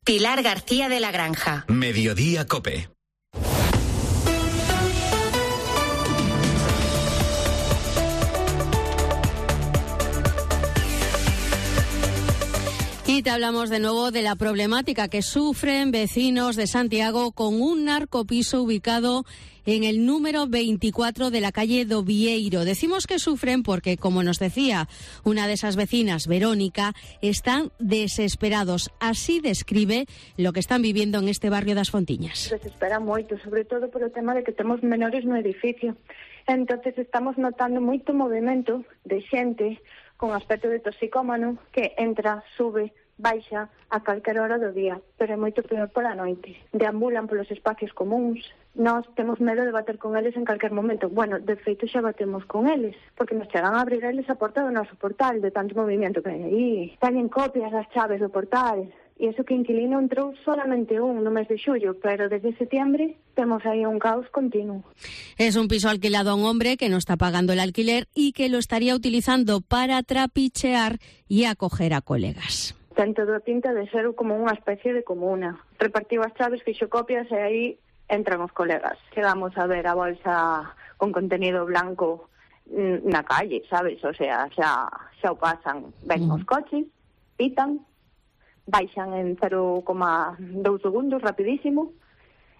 Pilar García de la Granja. Mediodía COPE. Y te hablamos de nuevo de la problemática que sufren vecinos de Santiago con un narcopiso ubicado en el número 24 de la calle do Vieiro. Decimos que sufren porque, como nos decía una de esas vecinas, Verónica, están desesperados. Así describe lo que están viviendo en este barrio das Fontiñas. Desespera moito, sobre todo por o tema de que temos menores no edificio. Entonces estamos notando moito movimento de xente con aspecto de toxicómano que entra, sube, baixa a calquera hora do día, pero é moito peor pola noite. Deambulan polos espacios comuns. Nós temos medo de bater con eles en calquer momento. Bueno, de feito xa batemos con eles, porque nos chegan a abrir eles a porta do noso portal, de tanto movimento que hai aí. Teñen copias das chaves do portal. E iso que inquilino entrou solamente no mes de xullo, pero desde septiembre temos aí un caos continuo. Es un piso alquilado a un hombre que no está pagando el alquiler y que lo estaría utilizando para trapichear y acoger a colegas. Ten todo pinta de ser como unha especie de comuna. Repartiu as chaves, fixo copias e aí entran os colegas. Chegamos a ver a bolsa con contenido blanco na calle, sabes? O sea, xa o pasan. Ven os coches, pitan, baixan en 0,2 segundos, rapidísimo,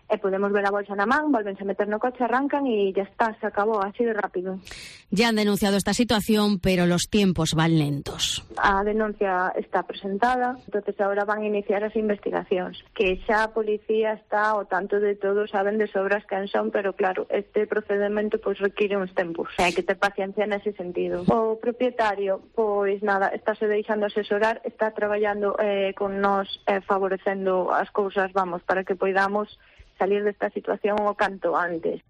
e podemos ver a bolsa na man, volvense a meter no coche, arrancan e ya está, se acabó, así de rápido. Ya han denunciado esta situación, pero los tiempos van lentos. A denuncia está presentada, entonces ahora van a iniciar as investigacións, que xa a policía está ao tanto de todo, saben de sobras quen son, pero claro, este procedimento pois require uns tempos. Hai que ter paciencia nese sentido. O propietario, pois nada, estáse deixando asesorar, está traballando con nós, favorecendo as cousas, vamos, para que poidamos salir de esta situación o canto antes.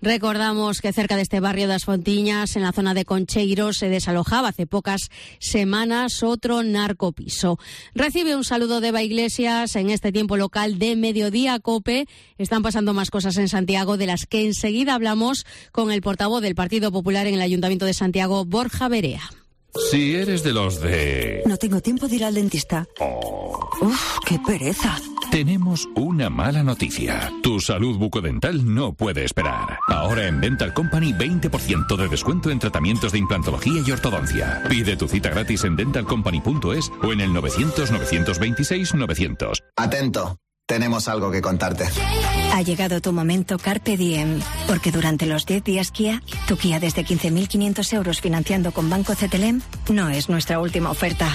Recordamos que cerca de este barrio das Fontiñas, en la zona de Concheiro, se desalojaba hace pocas semanas otro narcopiso. Recibe un saludo de Eva Iglesias en este tiempo local de Mediodía COPE. Están pasando más cosas en Santiago, de las que enseguida hablamos con el portavoz del Partido Popular en el Ayuntamiento de Santiago, Borja Verea. Si eres de los de... No tengo tiempo de ir al dentista. Uf, qué pereza. Tenemos una mala noticia. Tu salud bucodental no puede esperar. Ahora en Dental Company 20% de descuento en tratamientos de implantología y ortodoncia. Pide tu cita gratis en dentalcompany.es o en el 900-926-900. Atento. Tenemos algo que contarte. Ha llegado tu momento Carpe Diem, porque durante los 10 días Kia, tu Kia desde 15.500 euros financiando con Banco CTLM no es nuestra última oferta.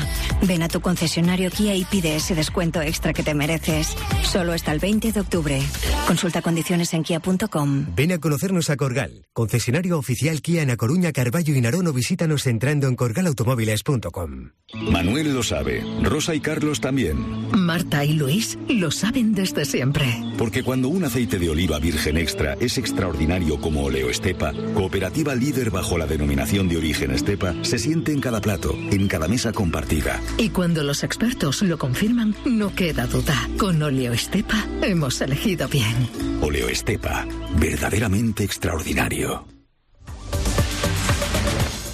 Ven a tu concesionario Kia y pide ese descuento extra que te mereces. Solo hasta el 20 de octubre. Consulta condiciones en kia.com. Ven a conocernos a Corgal, concesionario oficial Kia en A Coruña, Carballo y Narón, o visítanos entrando en corgalautomóviles.com. Manuel lo sabe, Rosa y Carlos también. Marta y Luis lo saben desde siempre. Porque cuando un aceite de oliva virgen extra es extraordinario como Oleoestepa, cooperativa líder bajo la denominación de origen Estepa, se siente en cada plato, en cada mesa compartida. Y cuando los expertos lo confirman, no queda duda. Con Oleoestepa hemos elegido bien. Oleoestepa, verdaderamente extraordinario.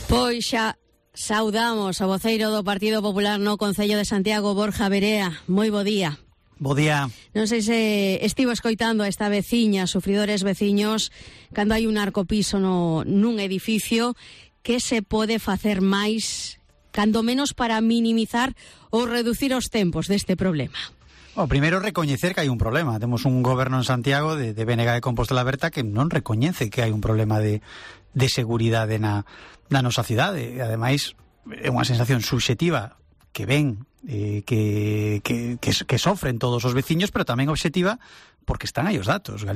Pois xa saudamos ao voceiro do Partido Popular no Concello de Santiago, Borja Verea. Moi bo día. Bo día. Non sei se estivo escoitando a esta veciña, sufridores veciños, cando hai un narcopiso nun edificio, que se pode facer máis, cando menos para minimizar ou reducir os tempos deste problema? O primeiro, recoñecer que hai un problema. Temos un goberno en Santiago de BNG de Compostela Berta que non recoñece que hai un problema de seguridade na nosa cidade. E ademais é unha sensación subxetiva que ven que sofren todos os veciños, pero tamén obxectiva porque están aí os datos.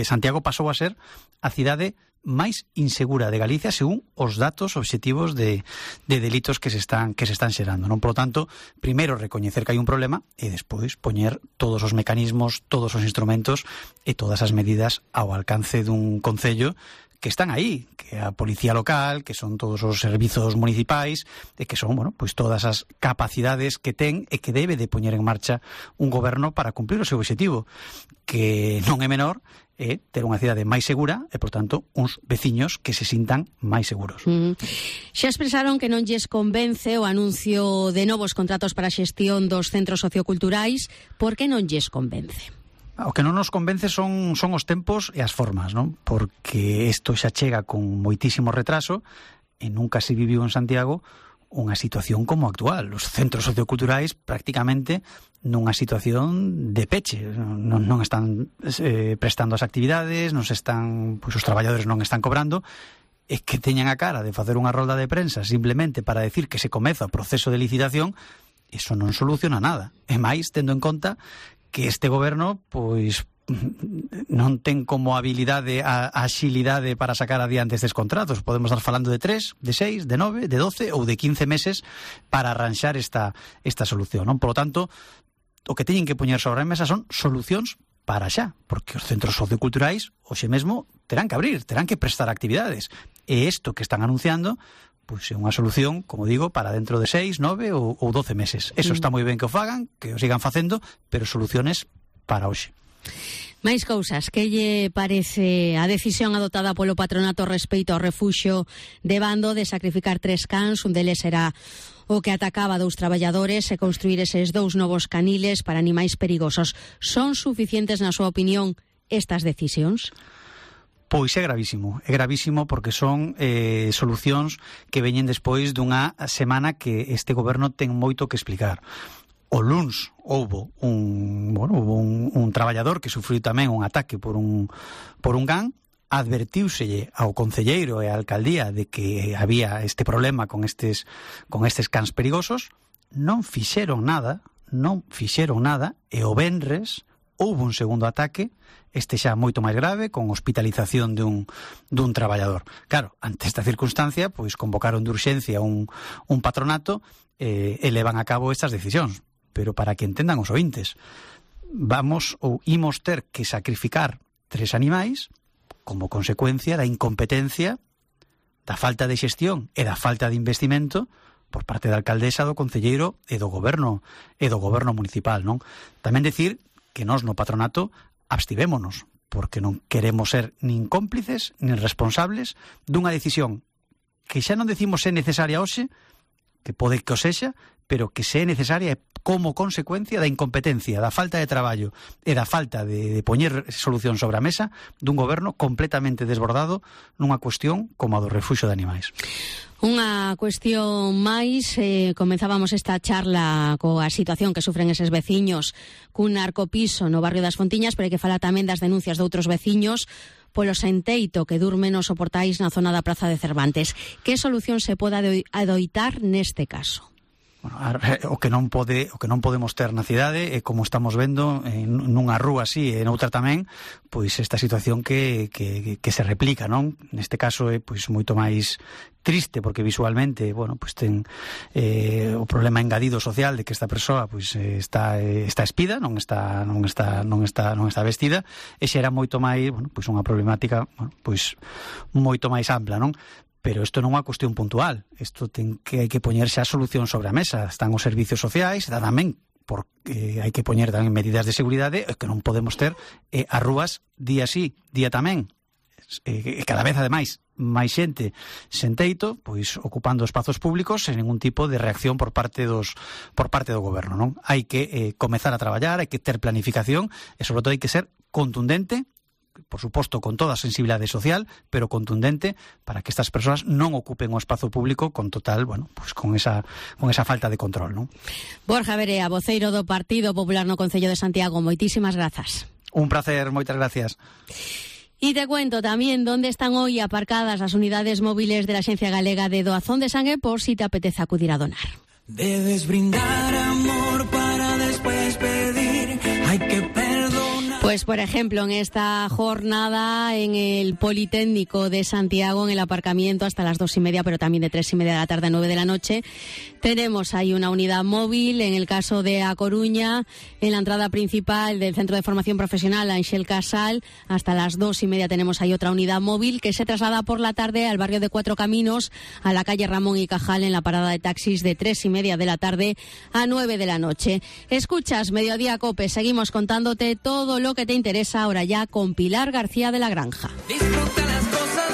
Santiago pasou a ser a cidade máis insegura de Galicia según os datos obxectivos de delitos que se están xerando, non? Por lo tanto, primeiro recoñecer que hai un problema e despois poñer todos os mecanismos, todos os instrumentos e todas as medidas ao alcance dun concello que están aí, que a policía local, que son todos os servizos municipais, e que son, bueno, pois todas as capacidades que ten e que debe de poñer en marcha un goberno para cumplir o seu obxectivo, que non é menor, é ter unha cidade máis segura e, por tanto, uns veciños que se sintan máis seguros. Xa expresaron que non lles convence o anuncio de novos contratos para a xestión dos centros socioculturais. Por que non lles convence? O que non nos convence son os tempos e as formas, non? Porque isto xa chega con moitísimo retraso e nunca se viviu en Santiago unha situación como actual. Os centros socioculturais prácticamente nunha situación de peche. Non están prestando as actividades, os traballadores non están cobrando, e que teñan a cara de facer unha rolda de prensa simplemente para decir que se comeza o proceso de licitación, iso non soluciona nada. E máis, tendo en conta que este goberno, pois, non ten como habilidade a axilidade para sacar adiante estes contratos. Podemos estar falando de 3, de 6, de 9, de 12 ou de 15 meses para arranxar esta solución, non? Por lo tanto, o que teñen que poñer sobre a mesa son solucións para xa, porque os centros socioculturais hoxe mesmo terán que abrir, terán que prestar actividades, e isto que están anunciando pois é unha solución, como digo, para dentro de 6, 9 ou 12 meses. Eso está moi ben que o fagan, que o sigan facendo, pero soluciones para hoxe. Máis cousas, que lle parece a decisión adoptada polo patronato respecto ao refuxio de Bando de sacrificar 3 cans? Un deles era o que atacaba 2 traballadores, e construir eses 2 novos caniles para animais perigosos. Son suficientes, na súa opinión, estas decisións? Pois é gravísimo porque son solucións que veñen despois dunha semana que este goberno ten moito que explicar. O luns houbo un traballador que sufriu tamén un ataque por un can. Advertíuselle ao concelleiro e á alcaldía de que había este problema con estes cans perigosos. Non fixeron nada, e o venres houbo un segundo ataque, este xa moito máis grave, con hospitalización dun traballador. Claro, ante esta circunstancia, pois convocaron de urxencia un patronato e levan a cabo estas decisións. Pero para que entendan os ointes, imos ter que sacrificar 3 animais como consecuencia da incompetencia, da falta de xestión e da falta de investimento por parte da alcaldesa, do concelleiro e do goberno municipal, non? Tamén decir que nós no patronato abstivémonos, porque non queremos ser nin cómplices nin responsables dunha decisión que xa non decimos é necesaria hoxe, que pode que o sexa, pero que se é necesaria como consecuencia da incompetencia, da falta de traballo e da falta de poñer solución sobre a mesa dun goberno completamente desbordado nunha cuestión como a do refuxio de animais. Unha cuestión máis, comenzábamos esta charla coa situación que sufren eses veciños cun narcopiso no barrio das Fontiñas, pero hai que falar tamén das denuncias de outros veciños polo senteito que durmen os soportais na zona da Praza de Cervantes. Que solución se pode adoitar neste caso? Bueno, o que non podemos ter na cidade é, como estamos vendo nunha rúa así e noutra tamén, pois esta situación que se replica, non? Neste caso é pois moito máis triste porque visualmente, bueno, pois ten o problema engadido social de que esta persoa pois está espida, non está vestida, e xa era moito máis, bueno, pois unha problemática, bueno, pois moito máis ampla, non? Pero isto non é unha cuestión puntual. Isto hai que poñerse a solución sobre a mesa. Están os servicios sociais, tamén porque hai que poñer tamén medidas de seguridade, que non podemos ter as rúas día sí, día tamén. Cada vez, ademais, máis xente sen teito, pois ocupando espazos públicos sen ningún tipo de reacción por parte do goberno, non? Hai que comezar a traballar, hai que ter planificación e, sobre todo, hai que ser contundente, por suposto con toda a sensibilidade social, pero contundente para que estas persoas non ocupen o espazo público con total, bueno, pues con esa falta de control, non? Borja Verea, voceiro do Partido Popular no Concello de Santiago, moitísimas grazas. Un placer, moitas gracias. Y te cuento también dónde están hoy aparcadas las unidades móviles de la Agencia Galega de Doazón de Sangue por si te apetece acudir a donar. Debes brindar amor para después pedir, hay que perdonar. Pues, por ejemplo, en esta jornada en el Politécnico de Santiago, en el aparcamiento hasta las 2:30, pero también de 3:30 de la tarde a 9 de la noche, tenemos ahí una unidad móvil. En el caso de A Coruña, en la entrada principal del Centro de Formación Profesional Ángel Casal, hasta las 2:30 tenemos ahí otra unidad móvil que se traslada por la tarde al barrio de Cuatro Caminos, a la calle Ramón y Cajal, en la parada de taxis de 3:30 de la tarde a 9 de la noche. Escuchas Mediodía COPE, seguimos contándote todo lo que que te interesa ahora ya con Pilar García de la Granja. Disfruta las cosas